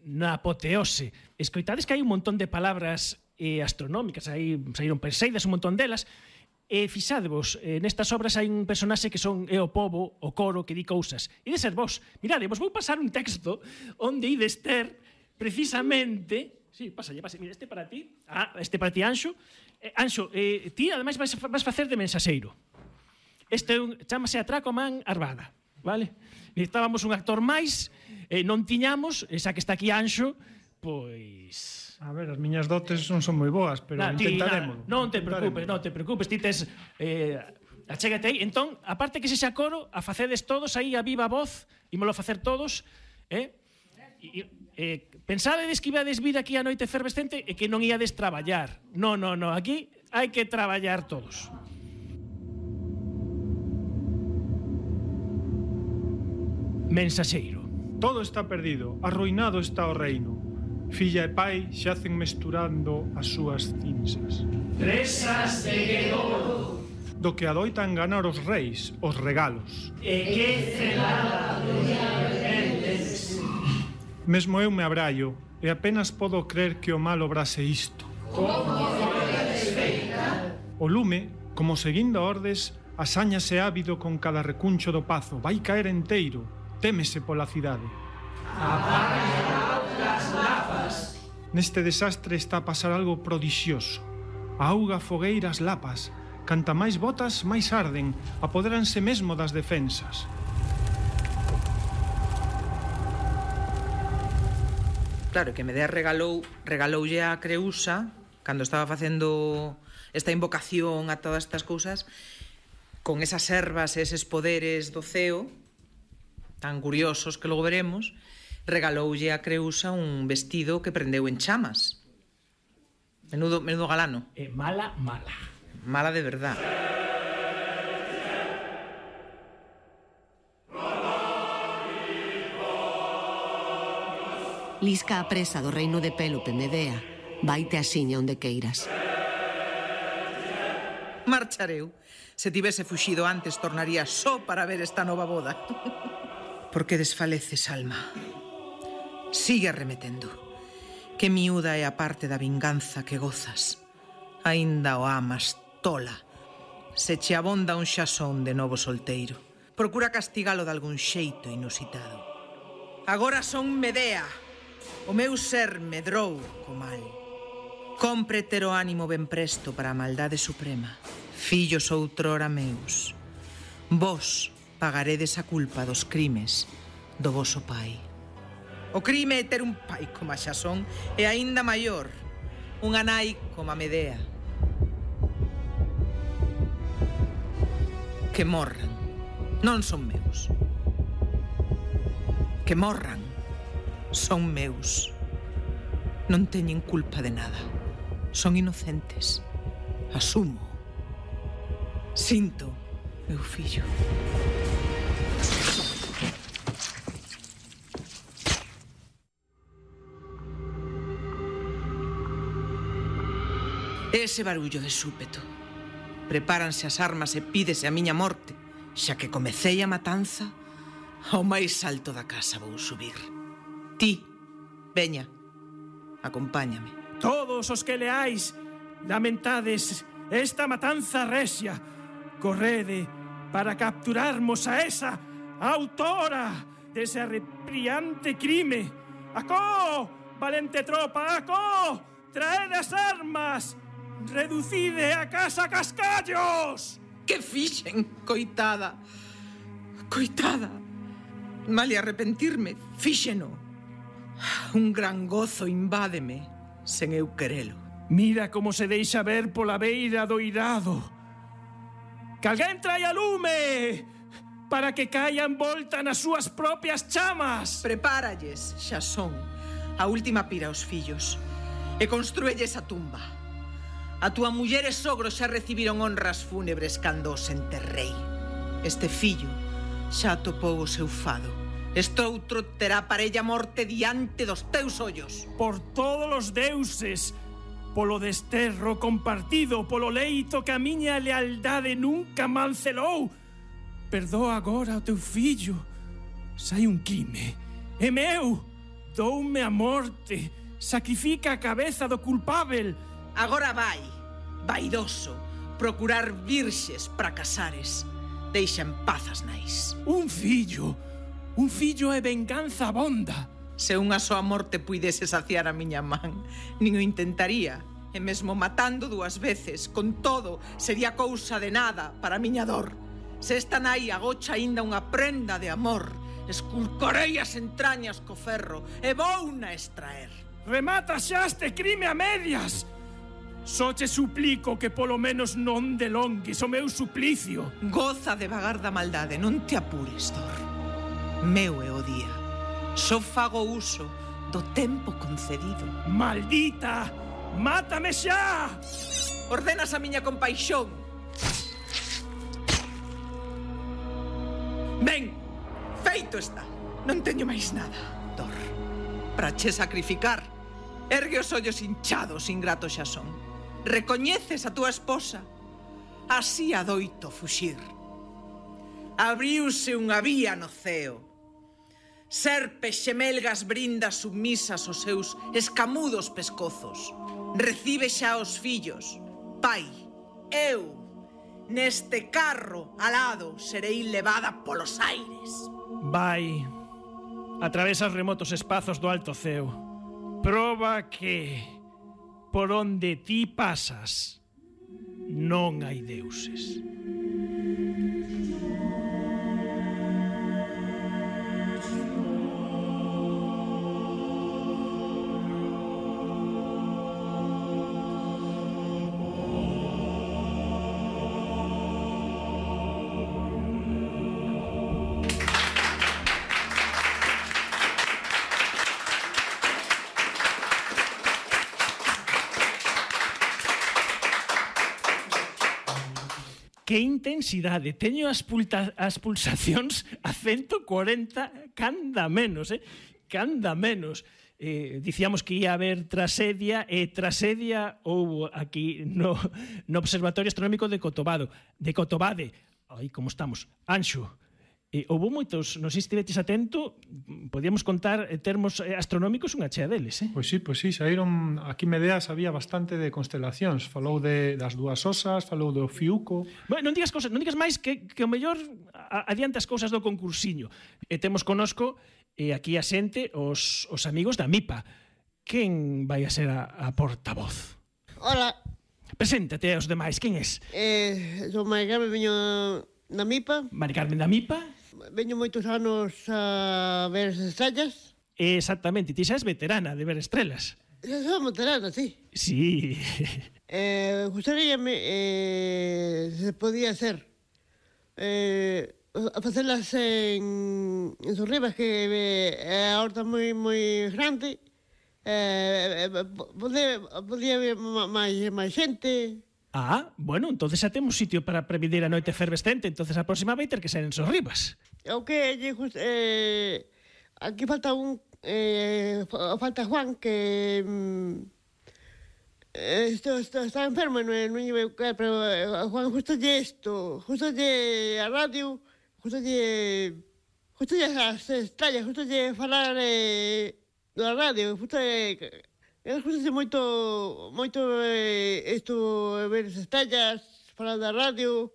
na apoteose. Escoitades que hai un montón de palabras astronómicas, aí saíron Perseidas, un montón delas, e fixadevos, nestas obras hai un personaxe que é o pobo, o coro, que di cousas. E de ser vos, mirade, vos vou pasar un texto onde ides ter, precisamente... Sí, pásalle, mira, este para ti, Anxo. Anxo, ti ademais vas facer de mensaxeiro. Este chamase Atraco a man armada, vale? Necesitábamos un actor máis, non tiñamos, xa que está aquí Anxo, pois... A ver, as miñas dotes non son moi boas, pero intentaremos. Non te preocupes, ti tes... achégate aí. Entón, aparte que sexa coro, a facedes todos aí a viva voz, ímolo facer todos, Pensades que ibades vir aquí a noite efervescente e que non iades traballar. No, aquí hai que traballar todos. Mensaxeiro. Todo está perdido, arruinado está o reino. Filla e pai xacen mesturando as súas cinzas. Presas de Guedoro. Do que adoitan ganar os reis, os regalos. E que celada Mesmo eu me abraio, e apenas podo crer que o mal obrase isto. O lume, como seguindo ordes, asáñase ávido con cada recuncho do pazo. Vai caer enteiro, témese pola cidade. Neste desastre está a pasar algo prodixioso. Auga, fogueiras, lapas. Canta máis botas, máis arden. Apodéranse mesmo das defensas. Claro, que Medea regaloulle a Creusa cando estaba facendo esta invocación a todas estas cousas, con esas ervas e eses poderes do ceo tan curiosos que logo veremos, regaloulle a Creusa un vestido que prendeu en chamas. Menudo galano. Mala. Mala de verdad. Lisca a presa do reino de Pélope, Medea. Vaite asiña onde queiras. Marchareu. Se tivese fuxido antes, tornaría só para ver esta nova boda. Por que desfaleces, alma? Sigue arremetendo. Que miúda é a parte da vinganza que gozas. Aínda o amas, tola. Se che abonda un xasón de novo solteiro. Procura castigalo de algún xeito inusitado. Agora son Medea. O meu ser medrou co mal. Compre ter o ánimo ben presto para a maldade suprema. Fillos outrora meus. Vos pagaredes a culpa dos crimes do voso pai. O crime é ter un pai como a Xasón e aínda maior, unha nai como a Medea. Que morran. Non son meus. Que morran. Son meus. Non teñen culpa de nada. Son inocentes. Asumo. Sinto, meu fillo. Ese barullo de súpeto. Prepáranse as armas e pídese a miña morte. Xa que comecei a matanza, ao máis alto da casa vou subir. Ti, veña, acompáñame. Todos os que leáis, lamentades esta matanza resia. Correde para capturarmos a esa autora dese arrepiante crime. Acó, valente tropa, acó, traed as armas, reducide a casa cascallos. Que fixen, coitada, coitada. Male arrepentirme, fíxeno. Un gran gozo invádeme, sen eu querelo. Mira como se deixa ver pola beira do irado. Que alguén traia lume para que caia envolta nas súas propias chamas. Prepáralles, Xasón, a última pira aos fillos e construelles a tumba. A túa muller e sogro xa recibiron honras fúnebres cando os enterrei. Este fillo xa atopou o seu fado. Estoutro terá parella morte diante dos teus ollos. Por todos os deuses, polo desterro compartido, polo leito que a miña lealdade nunca mancelou, perdoa agora o teu fillo. Sai un crime, é meu. Doume a morte, sacrifica a cabeza do culpável. Agora vai, vaidoso, procurar virxes para casares. Deixa en paz as nais. Un fillo é venganza abonda. Se unha soa morte puidese saciar a miña man, nin o intentaría. E mesmo matando 2 veces, con todo, sería cousa de nada para a miña dor. Se esta nai agocha aínda unha prenda de amor, esculcorei as entrañas co ferro e vouna extraer. Remata xa este crime a medias. Só che suplico que polo menos non delongues o meu suplicio. Goza de vagar da maldade, non te apures, Dor. Meu é o día. Só fago uso do tempo concedido. Maldita! Mátame xa! Ordenas a miña compaixón. Ben, feito está. Non teño máis nada, Dor. Para che sacrificar, ergue os ollos hinchados, ingrato xa son. Recoñeces a túa esposa. Así adoito fuxir. Abriuse unha vía no ceo. Serpes xemelgas brindas submisas os seus escamudos pescozos. Recibe xa os fillos. Pai, eu, neste carro alado, serei levada polos aires. Vai, atravesa os remotos espazos do alto ceo. Proba que, por onde ti pasas, non hai deuses. Que intensidade, teño as pulsacións a 140 canda menos, canda menos. Dicíamos que ia haber trasedia, e trasedia houbo aquí no Observatorio Astronómico de Cotobade. Aí como estamos, Anxo. Houbo moitos, non sei se estiveches atento, podíamos contar termos astronómicos unha chea deles, Pois sí, saíron, aquí Medea sabía bastante de constelacións, falou das dúas osas, falou do Fiuco. Bueno, non digas máis que o mellor adiante as cousas do concursiño. E temos conosco aquí a xente, os amigos da MIPA. Quen vai a ser a portavoz? Hola. Preséntate aos demais, quen és? Son Mari Carmen, veño da MIPA. Mari Carmen da MIPA. Veño moitos anos a ver as estrellas. Exactamente, ti xa és veterana de ver estrelas. Xa son veterana, sí. Sí. Gustaríame, se podía ser, facelas en Sorribas, que a horta moi grande. Podía haber máis xente. Bueno, entonces xa temos sitio para previdir a noite efervescente, entonces a próxima vai ter que ser en Sorribas. O que aquí falta falta Juan, que está enfermo, non lle veu caer, pero a Juan justo lle a radio, justo lle as estrellas, justo lle falar da radio, justo moito isto, ver as estrellas, falar da radio.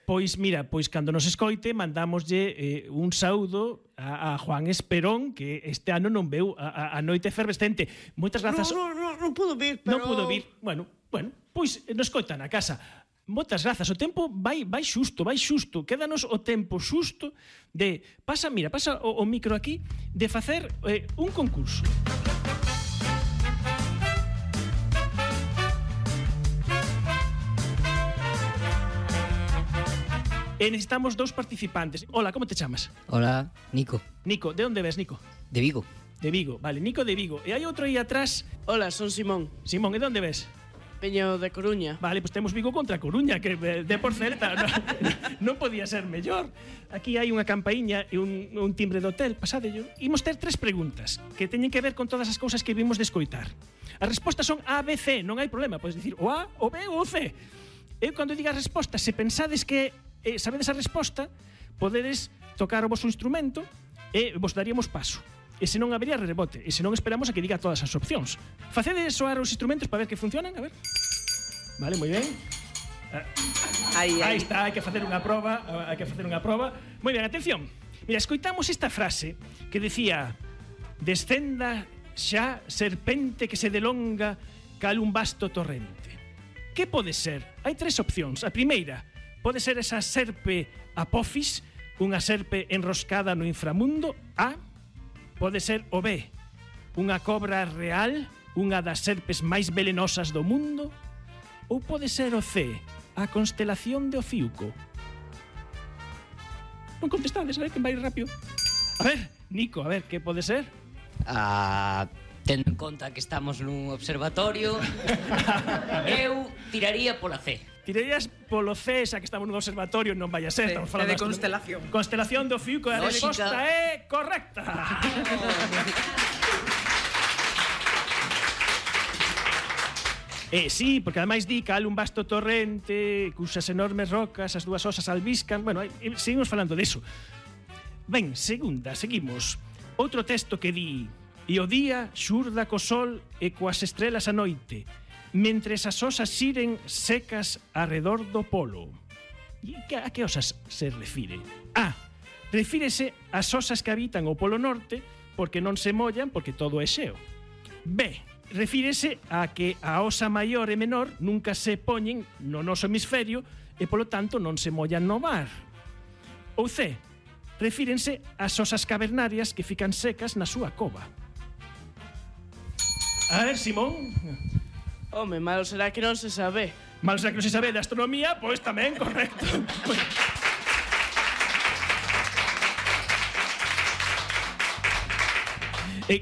Pois mira, cando nos escoite mandamoslle un saúdo a Juan Esperón, que este ano non veu a noite efervescente. Moitas grazas. Non pudo vir, pero... Non pudo vir. Bueno, pois nos escoita na casa. Moitas grazas. O tempo vai xusto. Quédanos o tempo xusto de... Pasa o micro aquí, de facer un concurso. Necesitamos 2 participantes. Hola, como te chamas? Hola, Nico. Nico, de onde ves, Nico? De Vigo. De Vigo, vale, Nico de Vigo. E hai outro aí atrás. Hola, son Simón. Simón, e de onde ves? Veño de Coruña. Vale, pues temos Vigo contra Coruña, que de por Celta non podía ser mellor. Aquí hai unha campaíña e un timbre de hotel, pasadello. Imos ter 3 preguntas que teñen que ver con todas as cousas que vimos de escoitar. As respostas son A, B, C, non hai problema, podes dicir o A, o B ou o C. Eu cando diga a resposta, se pensades que sabedes a resposta, podedes tocar o vosso instrumento e vos daríamos paso. E se non habería rebote, e se non esperamos a que diga todas as opcións. Facedes soar os instrumentos para ver que funcionan, a ver. Vale, moi ben. Aí está, hai que facer unha proba, Moi ben, atención. Mira, escoitamos esta frase que decía: descenda xa serpente que se delonga cal un vasto torrente. Que pode ser? Hai 3 opcións. A primeira, pode ser esa serpe Apophis, unha serpe enroscada no inframundo. A. Pode ser o B, unha cobra real, unha das serpes máis velenosas do mundo. Ou pode ser o C, a constelación de Ofiuco. Non contestades, a ver, que vai rápido. A ver, Nico, a ver, que pode ser? A Tendo en conta que estamos nun observatorio, eu tiraría pola C. Tirarías polo C, xa que estamos nun observatorio, non vai a ser, estamos falando de constelación. Constelación do Fiuco, a resposta é correcta. Sí, porque ademais di que un vasto torrente, cusas enormes rocas, as dúas osas albiscan. Bueno, seguimos falando deso. Ben, segunda, seguimos. Outro texto que di: e o día xurda co sol e coas estrelas a noite, mentres as osas xiren secas arredor do polo. E a que osas se refire? A. Refírese ás osas que habitan o polo norte porque non se mollan porque todo é xeo. B. Refírese a que a osa maior e menor nunca se poñen no noso hemisferio e polo tanto non se mollan no mar. Ou C. Refírense ás osas cavernarias que fican secas na súa cova. A ver, Simón. Home, malo será que non se sabe. Malo será que non se sabe de astronomía, pois tamén, correcto.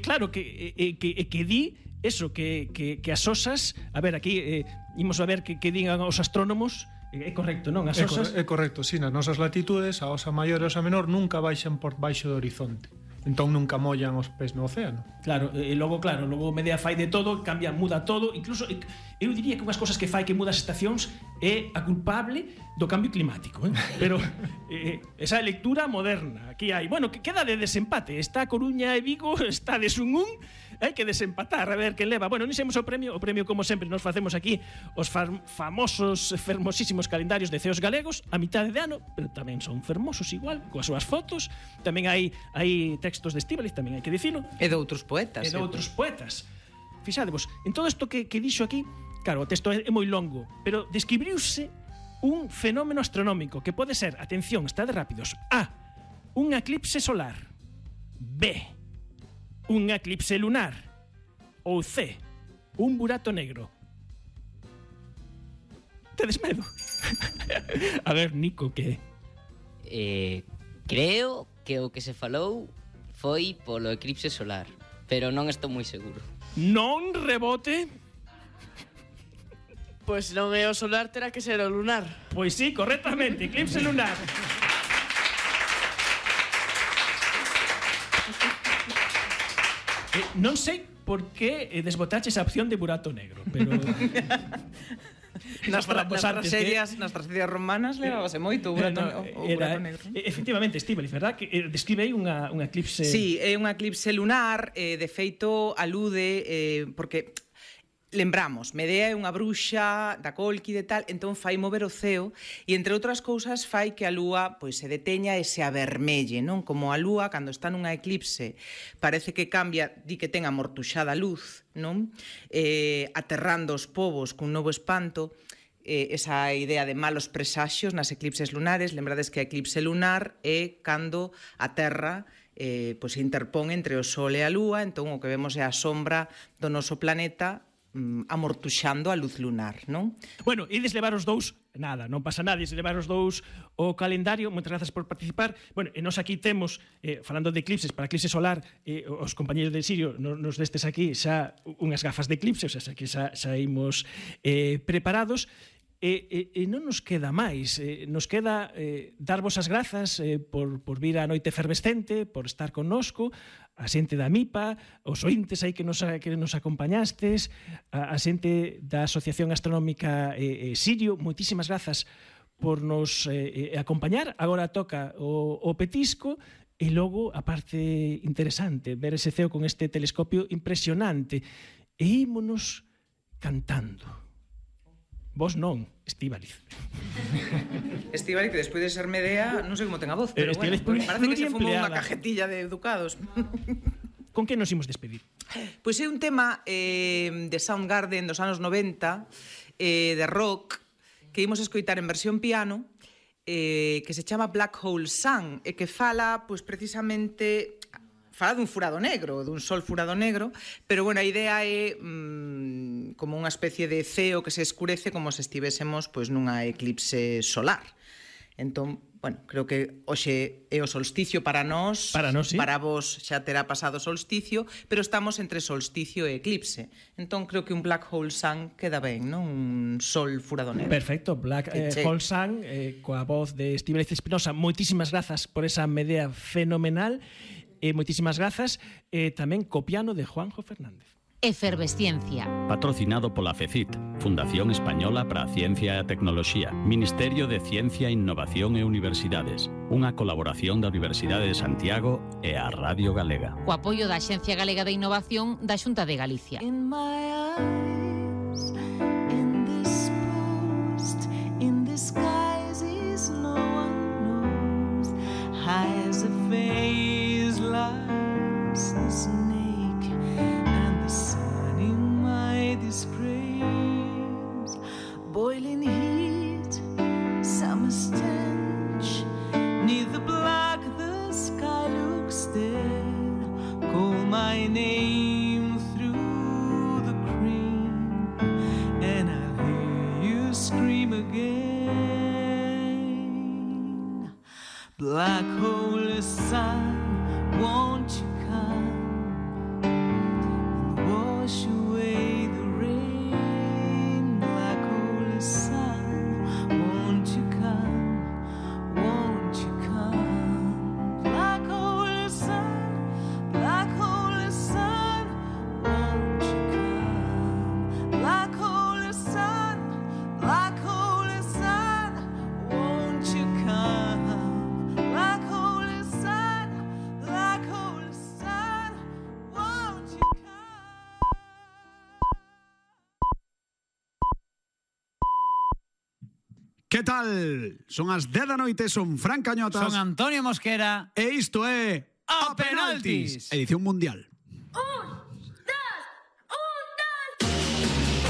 Claro, que di eso, que as osas... A ver, aquí imos a ver que digan os astrónomos. É correcto, non? As osas... É correcto, sí, nas nosas latitudes a osa maior e a osa menor nunca baixan por baixo do horizonte. Entón nunca mollan os pés no océano. Claro, e logo Medea fai de todo, cambia, muda todo. Incluso, eu diría que unhas cosas que fai que muda as estacións é a culpable do cambio climático, Pero esa lectura moderna. Aquí hai, bueno, que queda de desempate. Está Coruña e Vigo, está de Sunún. Hai que desempatar, a ver quen leva. Bueno, non sabemos o premio, como sempre nos facemos aquí os famosos, fermosísimos calendarios de ceos galegos a mitad de ano, pero tamén son fermosos igual, coas súas fotos. Tamén hai textos de Estíbaliz, tamén hai que dicilo. E de outros poetas. Fixadevos, en todo isto que dixo aquí, claro, o texto é moi longo, pero describiuse un fenómeno astronómico que pode ser, atención, está de rápidos, A. Un eclipse solar. B. Un eclipse lunar. Ou C. Un burato negro. Tedes medo? A ver, Nico, que... Creo que o que se falou foi polo eclipse solar, pero non estou moi seguro. Non rebote? Pois non é o solar, terá que ser o lunar. Pois sí, correctamente, eclipse lunar. Non sei por que desbotaches a opción de burato negro, pero... Nas tragedias romanas levábase moito o burato negro. Efectivamente, Estíbaliz, verdad? Que describe aí un eclipse... Sí, é un eclipse lunar, de feito alude, porque... Lembramos, Medea é unha bruxa da Cólquide e tal, entón fai mover o ceo e, entre outras cousas, fai que a lúa pois se deteña e se avermelle, non? Como a lúa, cando está nunha eclipse, parece que cambia, di que ten amortuxada luz, non? Aterrando os povos cun novo espanto, esa idea de malos presaxios nas eclipses lunares. Lembrades que a eclipse lunar é cando a Terra pois se interpón entre o Sol e a Lúa, entón o que vemos é a sombra do noso planeta amortuxando a luz lunar, non? Bueno, ides levar os dous, nada, non pasa nada, ides levar os dous o calendario. Moitas grazas por participar. Bueno, e nos aquí temos, falando de eclipses, para eclipse solar, os compañeros de Sirio nos destes aquí xa unhas gafas de eclipse, o sea, que xa imos preparados. E non nos queda máis, nos queda darvos as grazas por vir á Noite Efervescente, por estar connosco, a xente da MIPA, os ointes aí que nos acompañastes, a xente da Asociación Astronómica Sirio. Moitísimas grazas por nos acompañar. Agora toca o petisco e logo a parte interesante, ver ese ceo con este telescopio impresionante. E ímonos cantando. Vos non, Estíbaliz. Estíbaliz, que despois de ser Medea, non sei como ten a voz, pero bueno, parece que se fumou unha cajetilla de educados. Con que nos imos despedir? Pois é un tema de Soundgarden dos anos 90, de rock, que imos escoitar en versión piano, que se chama Black Hole Sun, e que fala, pois precisamente... Fala dun furado negro, dun sol furado negro, pero, bueno, a idea é como unha especie de ceo que se escurece como se estivésemos pois nunha eclipse solar. Entón, bueno, creo que hoxe é o solsticio para nós, sí. Para vos xa terá pasado o solsticio, pero estamos entre solsticio e eclipse. Entón creo que un Black Hole Sun queda ben, non? Un sol furado negro. Perfecto, Black Hole Sun, coa voz de Estíbaliz Espinosa. Moitísimas grazas por esa medea fenomenal, moitísimas grazas, tamén co piano de Juanjo Fernández. Efervesciencia. Patrocinado pola FECIT, Fundación Española para a Ciencia e a Tecnoloxía, Ministerio de Ciencia, Innovación e Universidades, unha colaboración da Universidade de Santiago e a Radio Galega. Co apoio da Axencia Galega de Innovación da Xunta de Galicia. In my eyes, in this post, in disguises no one knows, high as a face lies the snake, and the sun in my disgrace, boiling heat, summer stench, neither black the sky looks dead, call my name through the cream, and I'll hear you scream again. Black hole sun, won't you come and wash away the rain? Black hole sun, won't you come? Won't you come? Black hole sun, black hole sun, won't you come? Black hole sun, black hole sun, won't you come? Black hole sun, black hole sun, won't you come? Que tal? Son as 10 da noite, son Fran Cañotas. Son Antonio Mosquera. E isto é A Penaltis. Edición mundial. Un,